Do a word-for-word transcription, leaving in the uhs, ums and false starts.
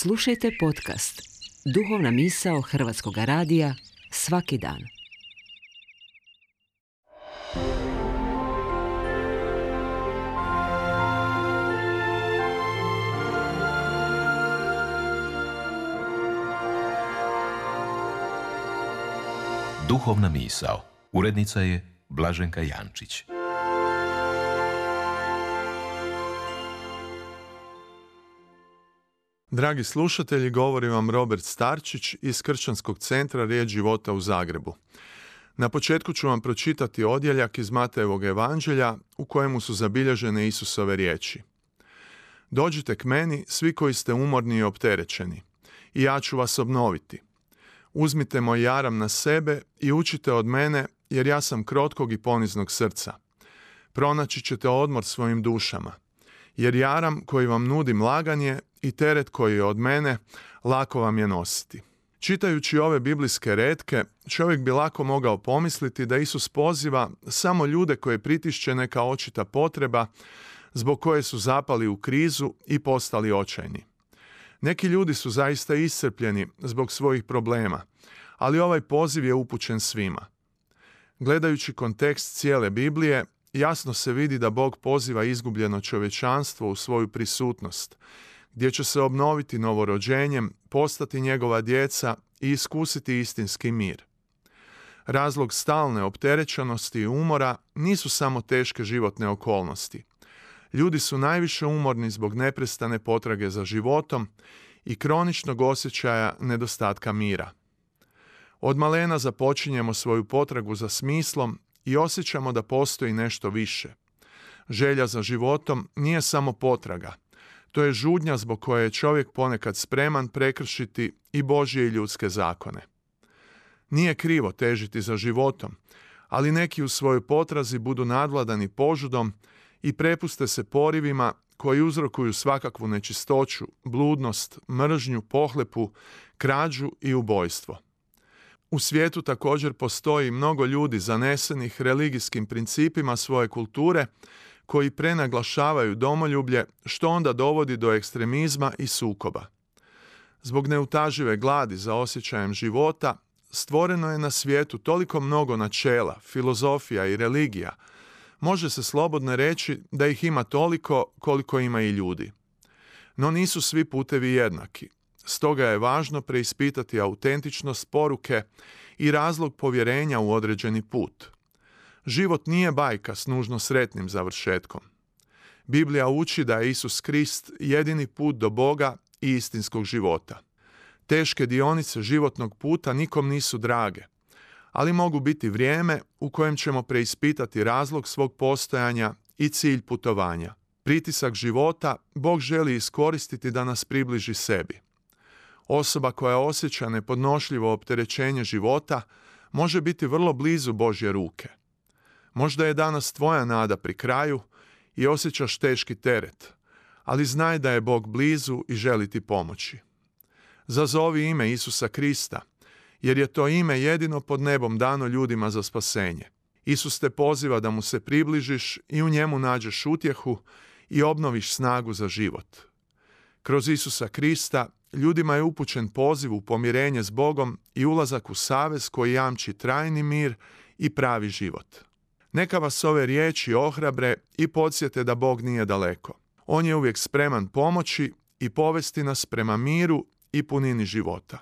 Slušajte podcast Duhovna misao Hrvatskog radija svaki dan. Duhovna misao. Urednica je Blaženka Jančić. Dragi slušatelji, govori vam Robert Starčić iz Kršćanskog centra Riječ života u Zagrebu. Na početku ću vam pročitati odjeljak iz Matejevog evanđelja u kojemu su zabilježene Isusove riječi. Dođite k meni, svi koji ste umorni i opterećeni, i ja ću vas obnoviti. Uzmite moj jaram na sebe i učite od mene, jer ja sam krotkog i poniznog srca. Pronaći ćete odmor svojim dušama, jer jaram koji vam nudim lagan je i teret koji je od mene, lako vam je nositi. Čitajući ove biblijske retke, čovjek bi lako mogao pomisliti da Isus poziva samo ljude koje pritišće neka očita potreba, zbog koje su zapali u krizu i postali očajni. Neki ljudi su zaista iscrpljeni zbog svojih problema, ali ovaj poziv je upućen svima. Gledajući kontekst cijele Biblije, jasno se vidi da Bog poziva izgubljeno čovječanstvo u svoju prisutnost, gdje će se obnoviti novorođenjem, postati njegova djeca i iskusiti istinski mir. Razlog stalne opterećenosti i umora nisu samo teške životne okolnosti. Ljudi su najviše umorni zbog neprestane potrage za životom i kroničnog osjećaja nedostatka mira. Od malena započinjemo svoju potragu za smislom i osjećamo da postoji nešto više. Želja za životom nije samo potraga. To je žudnja zbog koje je čovjek ponekad spreman prekršiti i Božje i ljudske zakone. Nije krivo težiti za životom, ali neki u svojoj potrazi budu nadvladani požudom i prepuste se porivima koji uzrokuju svakakvu nečistoću, bludnost, mržnju, pohlepu, krađu i ubojstvo. U svijetu također postoji mnogo ljudi zanesenih religijskim principima svoje kulture koji prenaglašavaju domoljublje, što onda dovodi do ekstremizma i sukoba. Zbog neutažive gladi za osjećajem života, stvoreno je na svijetu toliko mnogo načela, filozofija i religija, može se slobodno reći da ih ima toliko koliko ima i ljudi. No nisu svi putevi jednaki. Stoga je važno preispitati autentičnost poruke i razlog povjerenja u određeni put. Život nije bajka s nužno sretnim završetkom. Biblija uči da je Isus Krist jedini put do Boga i istinskog života. Teške dionice životnog puta nikom nisu drage, ali mogu biti vrijeme u kojem ćemo preispitati razlog svog postojanja i cilj putovanja. Pritisak života Bog želi iskoristiti da nas približi sebi. Osoba koja osjeća nepodnošljivo opterećenje života može biti vrlo blizu Božje ruke. Možda je danas tvoja nada pri kraju i osjećaš teški teret, ali znaj da je Bog blizu i želi ti pomoći. Zazovi ime Isusa Krista, jer je to ime jedino pod nebom dano ljudima za spasenje. Isus te poziva da mu se približiš i u njemu nađeš utjehu i obnoviš snagu za život. Kroz Isusa Krista ljudima je upućen poziv u pomirenje s Bogom i ulazak u savez koji jamči trajni mir i pravi život. Neka vas ove riječi ohrabre i podsjete da Bog nije daleko. On je uvijek spreman pomoći i povesti nas prema miru i punini života.